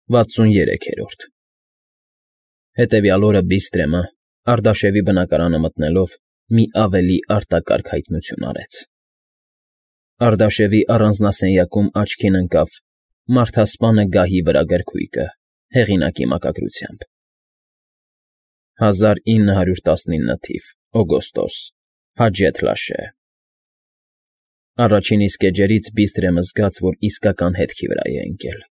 63-րդ Հետևյալ օրը Բիստրեմը, Արտաշևի բնակարանը մտնելով, մի ավելի արտակարգ հայտնություն արեց. Արտաշևի առանձնասենյակում աչքին ընկավ մարդասպանը գահի վրա գրքույկը, հեղինակի մակագրությամբ. 1919 թիվ, օգոստոս, Հաջեթ Լաշե Առաջին իսկ էջերից Բիստրեմը զգաց, որ իսկական հետքի վրա է ընկել.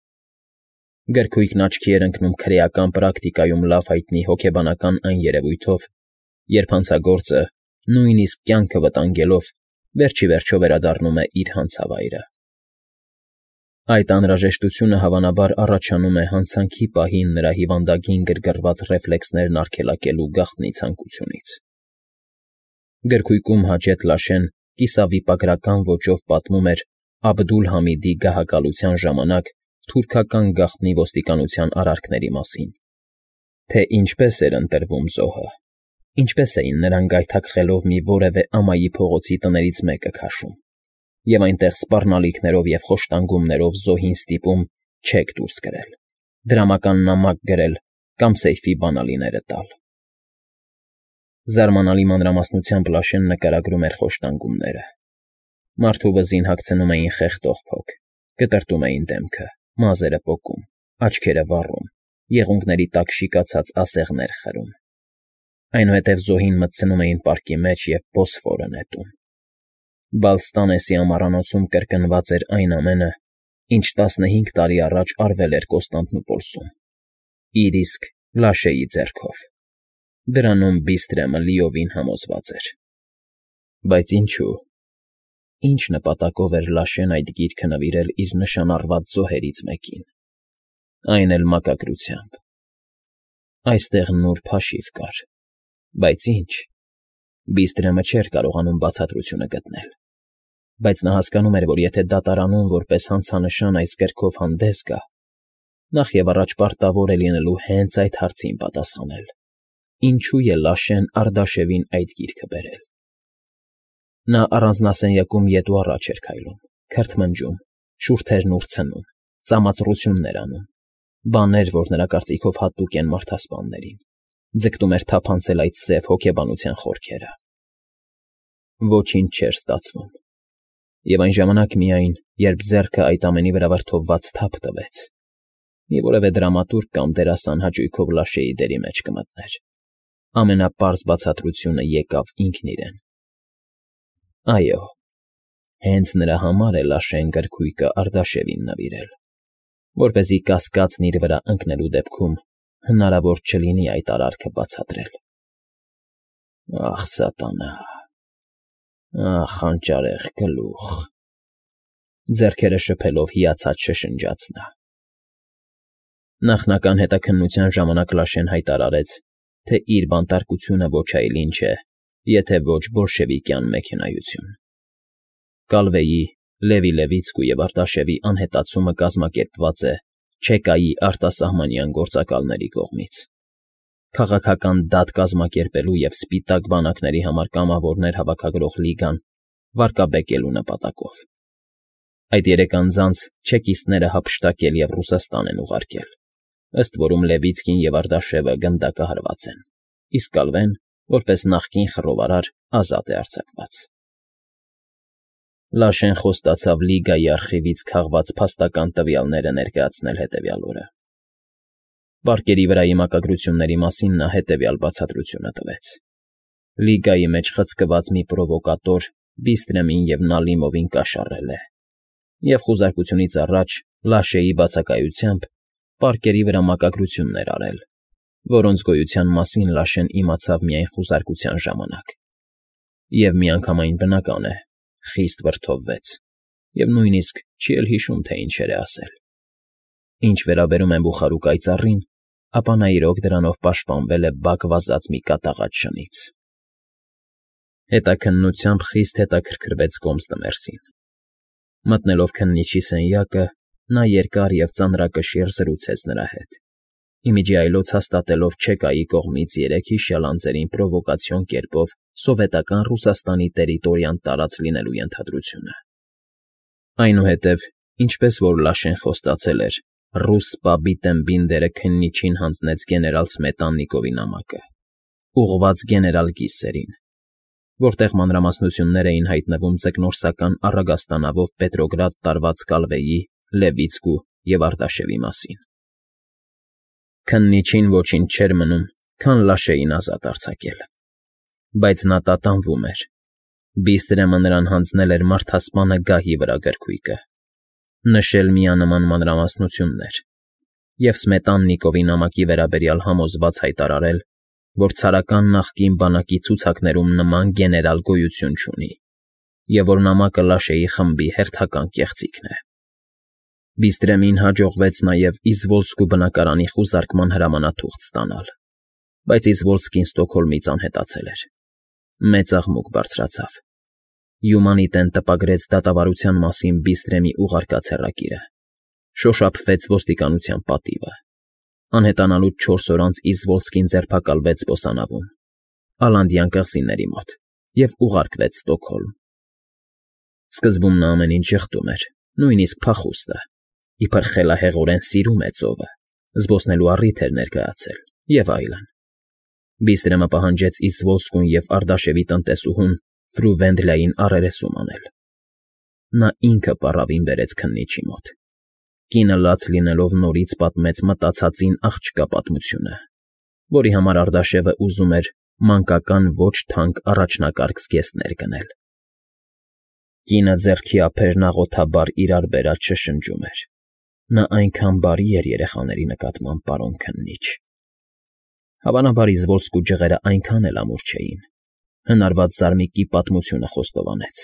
Գրքույկն աչքի էր ընկնում քրեական պրակտիկայում լավ հայտնի հոգեբանական այն երևույթով, երբ հանցագործը, նույնիսկ կյանքը վտանգելով, վերջիվերջո վերադառնում է իր հանցավայրը։ Այդ անհրաժեշտությունը հավանաբար առաջանում է հանցանքի պահին նրա հիվանդագին գրգռված ռեֆլեքսներն արգելակելու գաղտնի ցանկությունից։ Գրքույկում Հաջեթ Լաշեն կիսավիպագրական ոճով պատմում էր Աբդուլ֊Համիդի գահակալության ժամանակ թուրքական գաղտնի ոստիկանության արարքների մասին, թե ինչպես էր ընտրվում զոհը, ինչպես էին նրան գայթակղելով մի որևէ ամայի փողոցի տներից մեկը քաշում, և այնտեղ սպառնալիքներով և խոշտանգումներով զոհին ստիպում չեք դուրս կրել, դրամական նամակ գրել կամ սեյֆի բանալիները տալ։ Զարմանալի մանրամասնությամբ Լաշեն նկարագրում էր խոշտանգումները. մարդու վզին հագցնում էին խեղդող փոք, կտրտում էին դեմքը, մազերը պոկում, աչքերը վառում, եղունգների տակ շիկացած ասեղներ խրում։ Այնուհետև զոհին մտցնում էին պարկի մեջ և Բոսֆորը նետում։ Բալստանեսի ամառանոցում կրկնված էր այն ամենը, ինչ 15 տարի առաջ արվել էր Կոստանդնուպոլսում, իր իսկ Լաշեի ձեռքով։ Դրանում Բիստրեմը լիովին համոզված էր։ Բայց ինչու՞։ Ինչ նպատակով էր Լաշեն այդ գիրքը նվիրել իր նշանառված զոհերից մեկին, այն էլ մակագրությամբ։ Այստեղ նուրբ հաշիվ կար, բայց ինչ։ Բիստրեմը չէր կարողանում բացատրությունը գտնել, բայց նա հասկանում էր, որ եթե դատարանում որպես հանցանշան այս գրքով հանդես գա, նախևառաջ պարտավոր է լինելու հենց այդ հարցին պատասխանել. ինչու է Լաշեն Արտաշևին այդ գիրքը բերել։ Նա առանձնասենյակում ետ ու առաջ էր քայլում, քրթմնջում, շուրթերն ուրցնում, ծամածռություններ անում, բաներ, որ նրա կարծիքով հատուկ են մարդասպաններին, ձգտում էր թափանցել այդ սև հոգեբանության խորքերը։ Ոչինչ չէր ստացվում։ Եվ այն ժամանակ միայն, երբ ձեռքը այդ ամենի վրա վրդովված թափ տվեց, մի որևէ դրամատուրգ կամ դերասան հաճույքով Լաշեի դերի մեջ կմտներ, ամենապարզ բացատրությունը եկավ ինքն իրեն։ Այո, հենց նրա համար է Լաշեն գրքույկը Արտաշևին նվիրել, որպեսզի կասկածն իր վրա ընկնելու դեպքում հնարավոր չլինի այդ արարքը բացատրել։ Ախ, սատանա, ախ, հանճարեղ գլուխ, ձեռքերը շփելով հիացած շշնջաց նա։ Նախնական հետաքննության ժամանակ Լաշեն հայտարարեց, թե իր բանտարկությունը ոչ այլ ինչ է, եթե ոչ բոլշևիկյան մեքենայություն։ Կալվեի, Լևի Լևիցկու և Արտաշևի անհետացումը կազմակերպված է Չեկայի արտասահմանյան գործակալների կողմից։ Քաղաքական դատ կազմակերպելու և սպիտակ բանակների համար կամավորներ հավաքագրող լիգան վարկաբեկելու նպատակով։ Այդ երեք անձանց չեկիստները հափշտակել և Ռուսաստան են ուղարկել, ըստ որում Լևիցկին և Արտաշևը գնդակահարված են, իսկ Կալվեն, որպես նախկին խռովարար, ազատ է արձակված։ Լաշեն խոստացավ Լիգայի արխիվից քաղված փաստական տվյալները ներկայացնել հետևյալ օրը։ Պարկերի վրայի մակագրությունների մասին նա հետևյալ բացատրությունը տվեց. Լիգայի մեջ խցկված մի պրովոկատոր Բիստրեմին և Նալիմովին կաշառել է, և խուզարկությունից առաջ Լաշեի բացակայությամբ պարկերի վրա մակագրություններ արել, որոնց գոյության մասին Լաշեն իմացավ միայն խուզարկության ժամանակ։ Եվ միանգամայն բնական է, խիստ վրդովվեց, և նույնիսկ չի էլ հիշում, թե ինչեր է ասել։ Ինչ վերաբերում է Բուխարու կայծառին, ապա նա իրոք դրանով պաշտպանվել է բակ վազած մի կատաղած շնից։ Հետաքննությամբ խիստ հետաքրքրվեց Կոմստմերսին։ Մտնելով քննիչի սենյակը, նա երկար և ծանրակշիռ զրուցեց նրա հետ, ի միջի այլոց հաստատելով Չեկայի կողմից երեքհիշյալ անձերին պրովոկացիոն կերպով սովետական Ռուսաստանի տերիտորիան տարած լինելու ենթադրությունը։ Այնուհետև, ինչպես որ Լաշեն խոստացել էր, ռուս պաբի տեմբին քննիչին հանձնեց գեներալ Սմետաննիկովի նամակը, ուղղված գեներալ Կիսերին, որտեղ մանրամասնություններ էին հայտնվում ձկնորսական առագաստանավով Պետրոգրադ տարված Կալվեի, Լևիցկու և Արտաշևի մասին։ Քննիչին ոչինչ չէր մնում, քան Լաշեին ազատ արձակել, բայց նա տատանվում էր։ Բիստրեմը նրան հանձնել էր մարդասպանը գահի վրա գրքույկը, նշել միանման մանրամասնություններ և Սմետաննիկովի նամակի վերաբերյալ համոզված հայտարարել, որ ցարական նախկին բանակի ցուցակներում նման գեներալ գոյություն չունի, և որ նամակը Լաշեի խմբի հերթական կեղծիքն է։ Բիստրեմին հաջողվեց նաև Իզվոլսկու բնակարանի խուզարկման հրամանաթուղթ ստանալ, բայց Իզվոլսկին Ստոկհոլմից անհետացել էր։ Մեծ աղմուկ բարձրացավ։ Յումանիտեն տպագրեց դատավարության մասին Բիստրեմի ուղարկած հեռագիրը, շոշափվեց ոստիկանության պատիվը։ Անհետանալուց 4 օր անց Իզվոլսկին ձերբակալվեց Բոսանավում, Ալանդյան կղզիների մոտ, և ուղարկվեց Ստոկհոլմ։ Սկզբում նա ամեն ինչ ժխտում էր, նույնիսկ փախուստը, իբր խելահեղորեն սիրում է ծովը, զբոսնելու առիթ էր ներկայացել, և այլն։ Բիստրեմը պահանջեց Իզվոլսկուն և Արտաշևի տնտեսուհուն Ֆրու Վենդլային առերեսում անել։ Նա ինքը պառավին բերեց քննիչի մոտ։ Կինը լաց լինելով նորից պատմեց մտածածին աղջկա պատմությունը, որի համար Արտաշևը ուզում էր մանկական ոչ թանկ առաջնակարգ զգեստներ գնել։ Կինը ձեռքի ափերն աղոթաբար իրար բերած շշնջում էր։ Նա այնքան բարի էր երեխաների նկատմամբ, պարոն քննիչ։ Հավանաբար Իզվոլսկու ջղերը այնքան էլ ամուր չէին։ Հնարված զարմիկի պատմությունը խոստովանեց։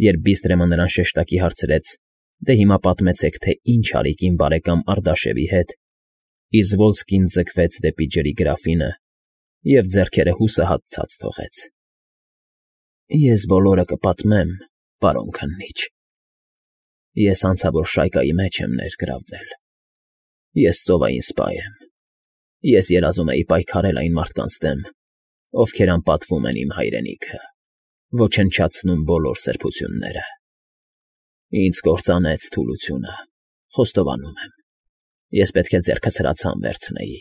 Երբ Բիստրեմը նրան շեշտակի հարցրեց. «Դե հիմա պատմեցեք, թե ինչ արիք իմ բարեկամ Արտաշևի հետ», Իզվոլսկին ձգվեց դեպի ջրի գրաֆինը և ձեռքերը հուսահատ ցած թողեց։ «Ես բոլորը կպատմեմ, պարոն քննիչ։ Ես անցավոր շայկայի մեջ եմ ներգրավվել։ Ես ծովային սպա եմ։ Ես երազում էի պայքարել այն մարդկանց դեմ, ովքեր անպատվում են իմ հայրենիքը, ոչնչացնում բոլոր սրբությունները։ Ինձ կործանեց թուլությունը, խոստովանում եմ։ Ես պետք է ձեռքս հրացան վերցնեի,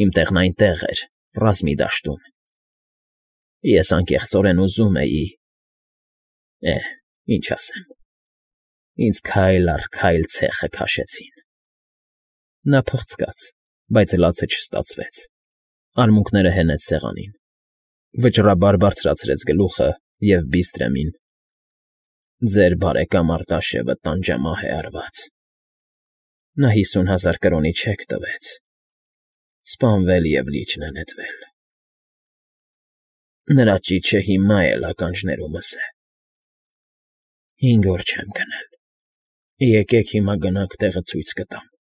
իմ տեղն այնտեղ էր, ռազմի դաշտում։ Ես անկեղծորեն ուզում էի… ինչ ասեմ… Ինձ քայլ առ քայլ ցեխը քաշեցին»։ Նա փղցկաց, բայց լացը չստացվեց։ Արմունկները հենեց սեղանին, վճռաբար բարձրացրեց գլուխը և Բիստրեմին. «Ձեր բարեկամ Արտաշևը տանջամահ է արված։ Նա 50,000 կրոնի չեք տվեց, սպանվել և լիճն է նետվել։ Նրա ճիչը հիմա էլ ականջներումս է։ 5 օր չեմ քնել։ Եկեք հիմա գնանք տեղը ցույց կտամ»։